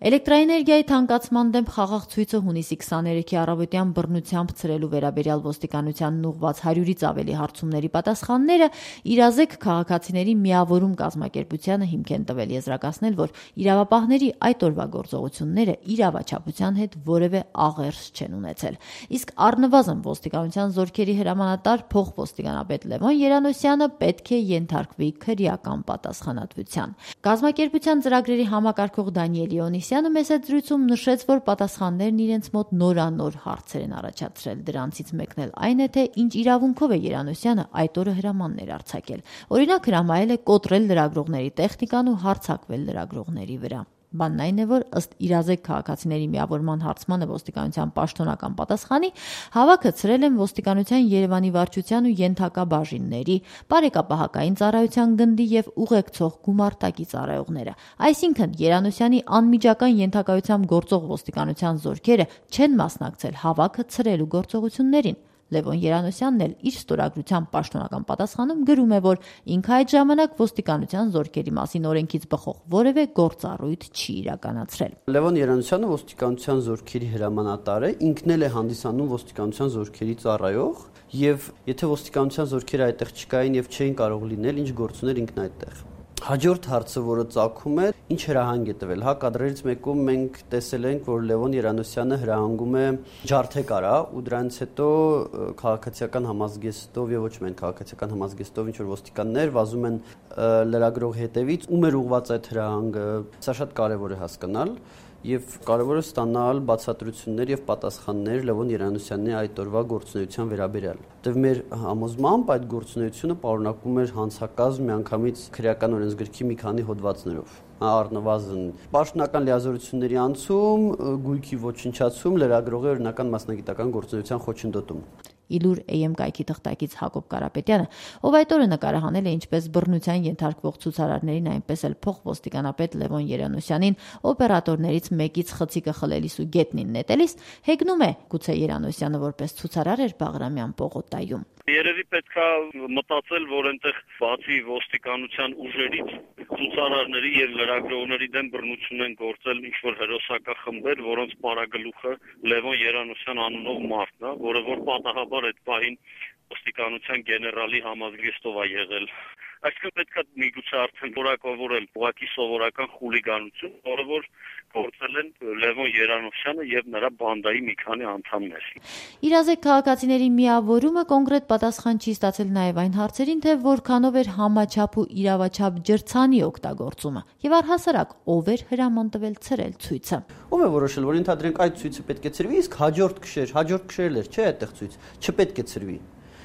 Էլեկտրաէներգիայի թանկացման դեմ խաղաղ ցույցը հունիսի 23-ի առավոտյան բռնությամբ ցրելու վերաբերյալ ոստիկանությանն ուղղված 100-ից ավելի հարցումների պատասխանները իրազեկ քաղաքացիների միավորում կազմակերպությանը հիմք են տվել եզրակացնել, որ իրավապահների այդ օրվա գործողությունները իրավաչափության հետ որևէ աղերս չեն ունեցել։ Իսկ առնվազն ոստիկանության զորքերի հրամանատար փոխոստիկանապետ Լևոն Երանոսյանը պետք է ենթարկվի քրեական պատասխանատվության։ Կազմակերպության ծրագրերի համակարգող Դանիել Իոնիսյանը մեծ զրույցում նշեց, որ պատասխաններն իրենց մոտ նորանոր հարցեր են առաջացրել։ Դրանցից մեկն էլ այն է, թե ինչ իրավունքով է Երանոսյանը այդ օրը հրամաններ արձակել։ Օրինակ, հրամայել է կոտրել լրագրողների տեխնիկան ու հարձակվել լրագրողների վրա։ Բանն այն է, որ ըստ իրազեկ քաղաքացիների միավորման հարցմանը ոստիկանության պաշտոնական պատասխանի հավաքը ցրել են ոստիկանության Երևանի վարչության ու ենթակա բաժինների, բարեկապահական ծառայության գնդի եւ ուղեկցող գումարտակի ծառայողները։ Այսինքն Երանոսյանի անմիջական ենթակայությամբ գործող ոստիկանության զորքերը չեն մասնակցել հավաքը ցրելու գործողություններին։ Լևոն Երանոսյանն էլ իր ստորագրության պաշտոնական պատասխանում գրում է, որ ինքը այդ ժամանակ ոստիկանության զորքերի մասին օրենքից բխող որևէ գործառույթ չի իրականացրել։ Լևոն Երանոսյանը ոստիկանության զորքերի հրամանատար է, ինքն էլ է հանդիսանում ոստիկանության զորքերի ծառայող, եւ եթե ոստիկանության զորքերը այդտեղ չկային եւ չէին կարող լինել, ինչ գործ ուներ ինքն այդտեղ։ Հաջորդ հարցը, որը ծագում է, ինչ հրահանգ է տվել։ Կադրերից մեկում մենք տեսել ենք, որ Լևոն Երանոսյանը հրահանգում է ջարդեկարա ու դրանից հետո քաղաքացիական համազգեստով եւ ոչ միայն քաղաքացիական համազգեստով ինչ որ ոստիկաններ վազում են լրագրող հետևից, ում էր ուղղված այդ հրահանգը։ Սա շատ կարեւոր է հասկանալ։ Եվ կարևոր է ստանալ բացատրություններ եւ պատասխաններ Լևոն Երանոսյանի այդ օրվա գործունեության վերաբերյալ։ Դեռ մեր համոզմամբ այդ գործունեությունը պարունակում էր հանցակազմ միանգամից քրեական օրենսգրքի մի քանի հոդվածներով։ Առնվազն պաշտոնական լիազորությունների անցում, գույքի ոչնչացում, լրագրողի օրինական մասնագիտական գործունեության խոչընդոտում։ Իլուր AM կայքի թղթակից Հակոբ Կարապետյանը, ով այդ օրը նկարահանել է ինչպես բռնության ենթարկվող ցուցարարներին, այնպես էլ փոխոստիկանապետ Լևոն Երանոսյանին օպերատորներից մեկից խցիկը խլելիս ու գետնին նետելիս, հեգնում է գուցե Երանոսյանը որպես ցուցարար էր Բաղրամյան պողոտայում։ Երևի պետքա մտածել, որ այնտեղ բացի ոստիկանության ուժերից ցուցարարների եւ լրագրողների դեմ բռնություն են գործել ինչ-որ հերոսակախմբեր, որոնց պարագլուխը Լևոն Երանոսյան անունով մարդն է, որը որ պատահաբար այդ պահին ոստիկանության գեներալի համազգեստով է եղել։ Այսինքն պետքա միգուցե արդեն որակավորել ուղղակի սովորական խուլիգանություն, որը որ գործել են Լևոն Երանոսյանը եւ նրա բանդայի մի քանի անդամներ։ Իրազեկ քաղաքացիների միավորումը կոնկրետ պատասխան չի ստացել նաեւ այն հարցերին, թե որքանով էր համաչափ ու իրավաչափ ջրցանի օգտագործումը եւ առհասարակ ով էր հրաման տվել ցրել ցույցը։ Ով է որոշել, որ ընդհանրենք այդ ցույցը պետք է ցրվի, իսկ հաջորդ քշերել էր, չէ՞ այդտեղ ցույց, չպետք է ցրվի։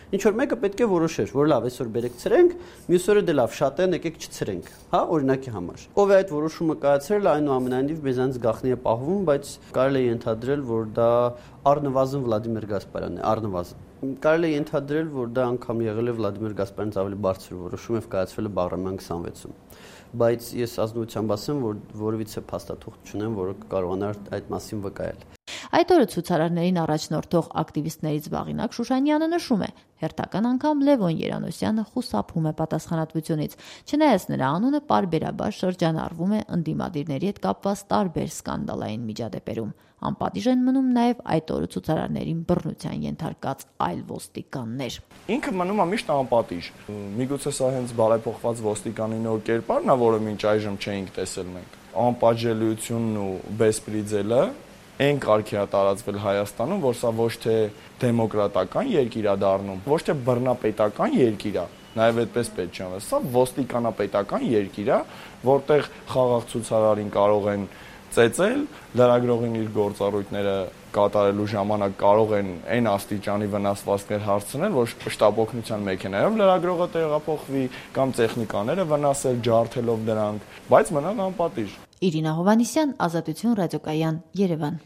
Ինչ որ մեկը պետք է որոշեր, որ լավ, այսօր բերեք ցրենք, մյուս օրը դե լավ, շատ են, եկեք չցրենք, հա, օրինակի համար։ Ով է այդ որոշումը կայացրել, այնուամենայնիվ մեզանից գաղտնի է պահվում, բայց կարելի է ենթադրել, որ դա առնվազն Վլադիմիր Գասպարյանն է, առնվազն։ Կարելի է ենթադրել, որ դա անգամ եղել է Վլադիմիր Գասպարյանից ավելի բարձր որոշում եւ կայացվել է Բաղրամյան 26-ում։ Բայց ես ազնվությամբ ասեմ, որ որևիցե փաստաթուղթ չունեմ, որը կարողանար այդ մասին վկայել։ Այդ օրը ցուցարարներին առաջնորդող ակտիվիստներից Վաղինակ Շուշանյանը նշում է. հերթական անգամ Լևոն Երանոսյանը խուսափում է պատասխանատվությունից, չնայած նրա անունը պարբերաբար շրջանառվում է ընդդիմադիրների հետ կապված տարբեր սկանդալային միջադեպերում։ Անպատիժ են մնում նաև այդ օրը ցուցարարներին բռնության ենթարկած այլ ոստիկաններ։ Ինքը մնում է միշտ անպատիժ։ Միգուցե սա հենց բարեփոխված ոստիկանի նոր կերպարն է, որը մինչ այժմ չէինք տեսել մենք։ Անպատժելիությունն ու բեսպրիձելը այն կարգի է տարածվել Հայաստանում, որ սա ոչ թե դեմոկրատական երկիր է դառնում, ոչ թե բռնապետական երկիր է, նաև այդպես պետք չի անել։ Սա ոստիկանապետական երկիր է, որտեղ խաղաղ ցուցարարին կարող են ծեծել, լրագրողին իր գործառույթները կատարելու ժամանակ կարող են այն աստիճանի վնասվածքներ հասցնել, որ շտապօգնության մեքենայով լրագրողը տեղափոխվի կամ տեխնիկաները վնասել ջարդելով դրանք, բայց մնան անպատիժ։ Իրինա Հովհաննիսյան, Ազատություն ռադիոկայան, Երևան։